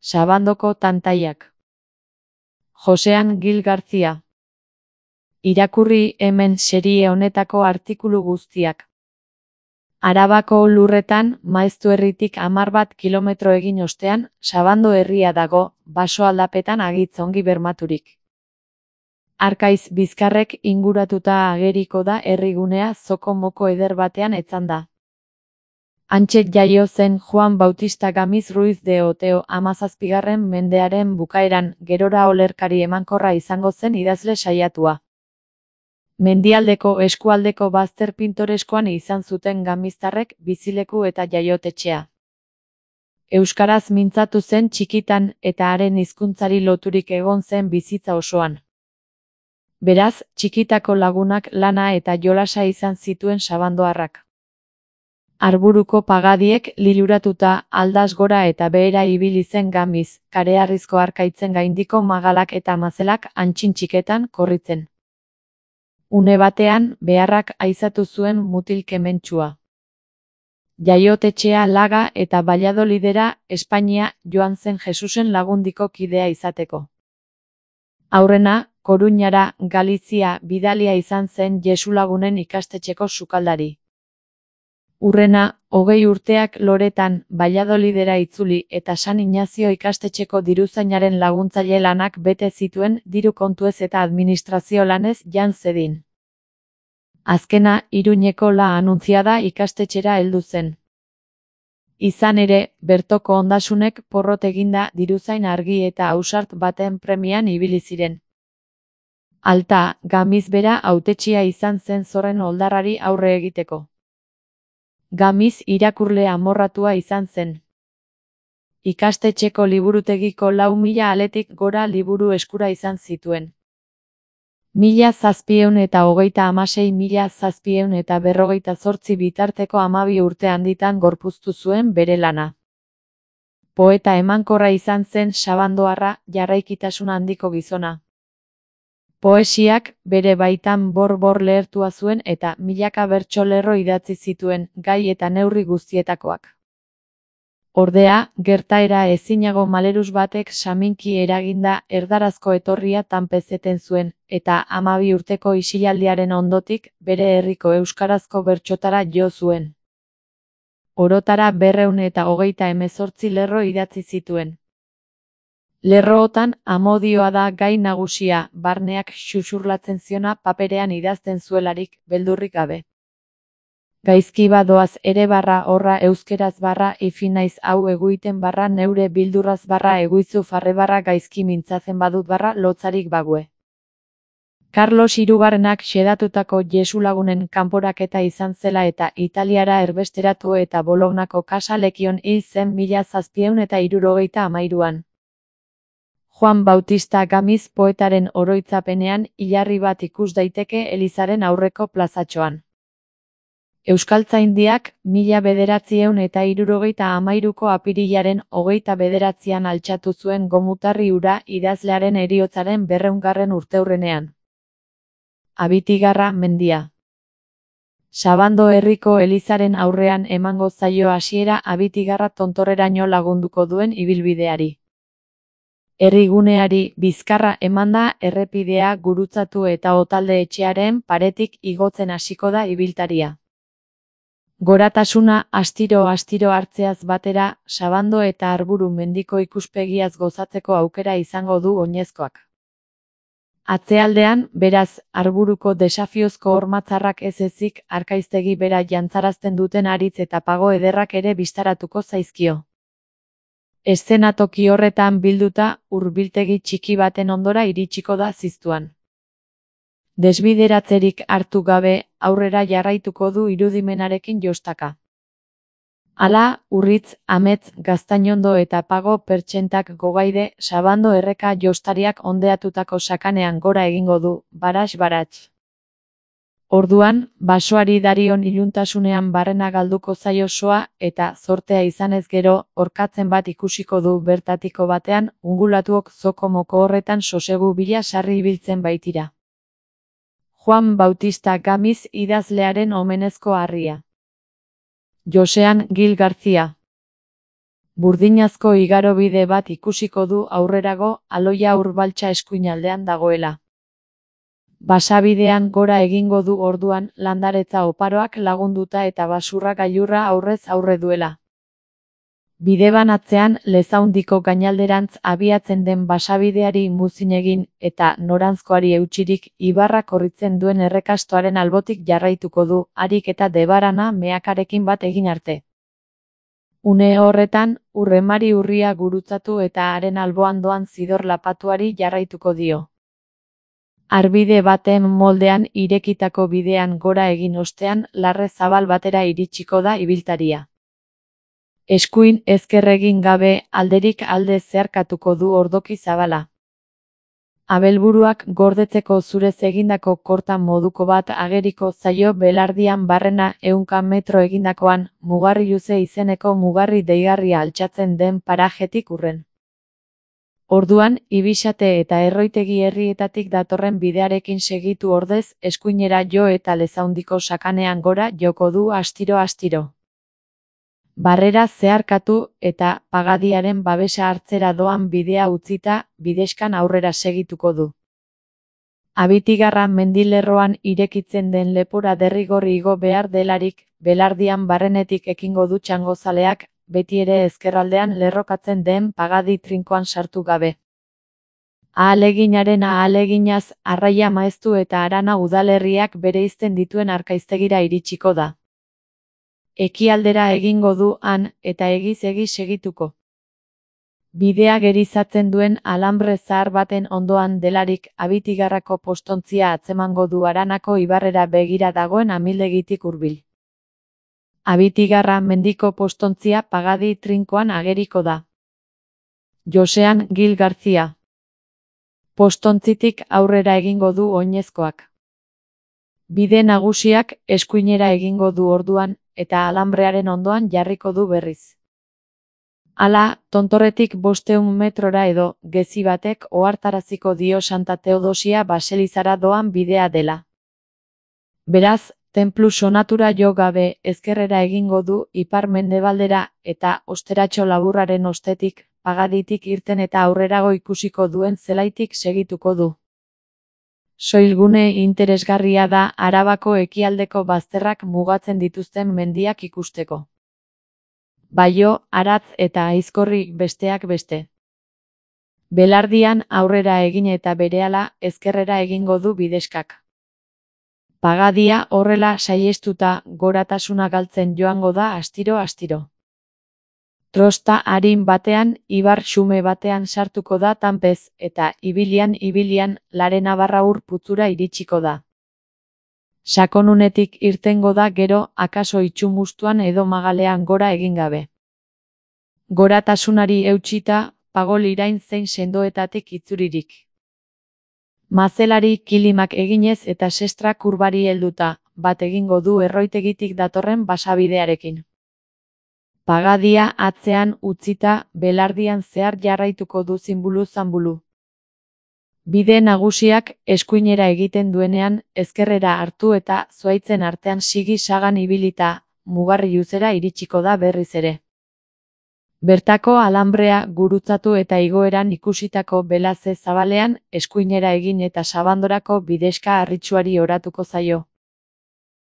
Sabandoko tantaiak. Josean Gil Garcia. Irakurri hemen serie honetako artikulu guztiak. Arabako lurretan, Maeztu herritik 11 kilometro egin ostean, Sabando herria dago, baso aldapetan agitz ongi bermaturik. Arkaiz bizkarrek inguratuta ageriko da herrigunea zoko moko eder batean etzanda. Hantxe jaio zen Juan Bautista Gamiz Ruiz de Oteo 17. mendearen bukaeran, gerora olerkari emankorra izango zen idazle saiatua. Mendialdeko eskualdeko bazter pintoreskoan izan zuten gamiztarrek bizileku eta jaiotetxea. Euskaraz mintzatu zen txikitan eta haren hizkuntzari loturik egon zen bizitza osoan. Beraz, txikitako lagunak lana eta jolasa izan zituen sabandoarrak. Arburuko pagadiek liluratuta aldaz gora eta behera ibili zen Gamiz, kareharrizko arkaitzen gaindiko magalak eta mazelak antxin txiketan korritzen. Une batean, beharrak aizatu zuen mutil kementsua. Jaiotetxea Laga eta Valladolidera, Espainia, joan zen Jesusen lagundiko kidea izateko. Aurrena, Koruñara, Galizia, bidalia izan zen Jesulagunen ikastetxeko sukaldari. Hurrena, 20 urteak Loretan, Valladolidera itzuli eta San Inazio ikastetxeko diruzainaren laguntzaile lanak bete zituen diru kontuez eta administrazio lanez jan zedin. Azkena, Iruñeko La Anunciada ikastetxera heldu zen. Izan ere, bertoko ondasunek porrot eginda diruzain argi eta ausart baten premian ibili ziren. Alta, Gamiz bera hautetsia izan zen zorren oldarrari aurre egiteko. Gamiz irakurle amorratua izan zen. Ikastetxeko liburutegiko 4.000 aletik gora liburu eskura izan zituen. 1726.758 bitarteko 12 urte handitan gorpuztu zuen bere lana. Poeta emankorra izan zen sabandoarra, jarraikitasun handiko gizona. Poesiak bere baitan bor-bor lehertua zuen eta milaka bertso lerro idatzi zituen, gai eta neurri guztietakoak. Ordea, gertaera ezinago maleruz batek saminki eraginda erdarazko etorria tanpezeten zuen, eta 12 urteko isilaldiaren ondotik, bere herriko euskarazko bertsotara jo zuen. Orotara 228 lerro idatzi zituen. Lerrootan amodioa da gai nagusia, barneak xuxurlatzen ziona paperean idazten zuelarik, beldurrik gabe. Gaizki badoaz ere /horra euskeraz /ifinaiz hau eguiten /neure bildurraz /eguizu farre gaizki mintzatzen badut /lotzarik bague. Carlos Hirugarrenak xedatutako Jesulagunen kanporaketa izan zela eta Italiara erbesteratu eta Bolognako kasa lekion hil zen 1763an. Juan Bautista Gamiz poetaren oroitzapenean hilarri bat ikus daiteke elizaren aurreko plazatxoan. Euskaltzaindiak 1963ko apirilaren 29an altxatu zuen gomutarri hura idazlearen heriotzaren 200. urteurrenean. Abitigarra mendia. Sabando herriko elizaren aurrean emango zaio hasiera Abitigarra tontorreraino lagunduko duen ibilbideari. Herriguneari bizkarra emanda errepidea gurutzatu eta Otalde etxearen paretik igotzen hasiko da ibiltaria. Goratasuna astiro-astiro hartzeaz batera, Sabando eta Arburu mendiko ikuspegiaz gozatzeko aukera izango du oinezkoak. Atzealdean, beraz, Arburuko desafiozko hormatzarrak ez ezik, arkaiztegi bera jantzarazten duten haritz eta pago ederrak ere bistaratuko zaizkio. Eszenatoki horretan bilduta, hurbiltegi txiki baten ondora iritsiko da ziztuan. Desbideratzerik hartu gabe, aurrera jarraituko du irudimenarekin jostaka. Hala, Urritz, Amets, Gaztainondo eta Pago pertsentak gogaide, Sabando erreka jostariak ondeatutako sakanean gora egingo du, baras-barats. Orduan, basoari darion iluntasunean barrena galduko zaio soa eta zortea izanez gero, orkatzen bat ikusiko du bertatiko batean, ungulatuok zoko moko horretan sosegu bila sarri ibiltzen baitira. Juan Bautista Gamiz idazlearen omenezko harria. Josean Gil Garcia. Burdinazko igarobide bat ikusiko du aurrerago, Aloia Urbaltza eskuinaldean dagoela. Basabidean gora egingo du orduan, landaretza oparoak lagunduta eta basurra gailurra aurrez aurre duela. Bidebanatzean Lezaundiko gainalderantz abiatzen den basabideari muzin egin eta noranzkoari eutsirik ibarra korritzen duen errekastoaren albotik jarraituko du, harik eta Debarana meakarekin bat egin arte. Une horretan, Urremari urria gurutzatu eta haren alboan doan Zidor lapatuari jarraituko dio. Arbide baten moldean irekitako bidean gora egin ostean larre zabal batera iritsiko da ibiltaria. Eskuin ezker egin gabe alderik alde zeharkatuko du ordoki zabala. Abelburuak gordetzeko zurez egindako korta moduko bat ageriko zaio belardian barrena 100 metro egindakoan, Mugarriluze izeneko mugarri deigarria altxatzen den parajetik urren. Orduan, Ibixate eta Erroitegi herrietatik datorren bidearekin segitu ordez, eskuinera jo eta Lezaundiko sakanean gora joko du astiro-astiro. Barrera zeharkatu eta Pagadiaren babesa hartzera doan bidea utzita, bidexkan aurrera segituko du. Abitigarra mendilerroan irekitzen den lepora derrigorri igo behar delarik, belardian barrenetik ekingo du txangozaleak, beti ere ezkerraldean lerrokatzen den Pagadi trinkoan sartu gabe. Ahaleginaren ahaleginaz, Arraia Maeztu eta Arana udalerriak bereizten dituen Arkaiztegira iritsiko da. Ekialdera egingo du han, eta egiz segituko. Bidea gerizatzen duen alambre zahar baten ondoan delarik, Abitigarrako postontzia atzemango du Aranako ibarrera begira dagoen amildegitik hurbil. Abitigarra mendiko postontzia Pagadi trinkoan ageriko da. Josean Gil Gartzia. Postontzitik aurrera egingo du oinezkoak. Bide nagusiak eskuinera egingo du orduan, eta alambrearen ondoan jarriko du berriz. Hala, Tontorretik 500 metrora edo, gezi batek ohartaraziko dio Santa Teodosia baselizara doan bidea dela. Beraz, tenplu sonatura jo gabe ezkerrera egingo du ipar-mendebaldera eta osteratxo laburraren ostetik, Pagaditik irten eta aurrerago ikusiko duen zelaitik segituko du. Soilgune interesgarria da Arabako ekialdeko bazterrak mugatzen dituzten mendiak ikusteko. Baio, Aratz eta Aizkorri besteak beste. Belardian aurrera egin eta berehala ezkerrera egingo du bidexkak. Pagadia horrela saihestuta goratasuna galtzen joango da astiro-astiro. Trosta arin batean, ibar xume batean sartuko da Tanpez, eta ibilian, Larenabarra ur putzura iritsiko da. Sakonunetik irtengo da gero, akaso Itxumustuan edo Magalean gora egin gabe. Goratasunari eutsita, Pagol irain zein sendoetatik itzuririk. Mazelari kilimak eginez eta sestra kurbari helduta, bat egingo du Erroitegitik datorren basabidearekin. Pagadia atzean utzita, belardian zehar jarraituko du zinbulu-zanbulu. Bide nagusiak eskuinera egiten duenean, ezkerrera hartu eta zuaitzen artean sigi sagan ibilita, Mugarriluzera iritsiko da berriz ere. Bertako alambrea gurutzatu eta igoeran ikusitako belaze zabalean, eskuinera egin eta Sabandorako bidexka harritsuari oratuko zaio.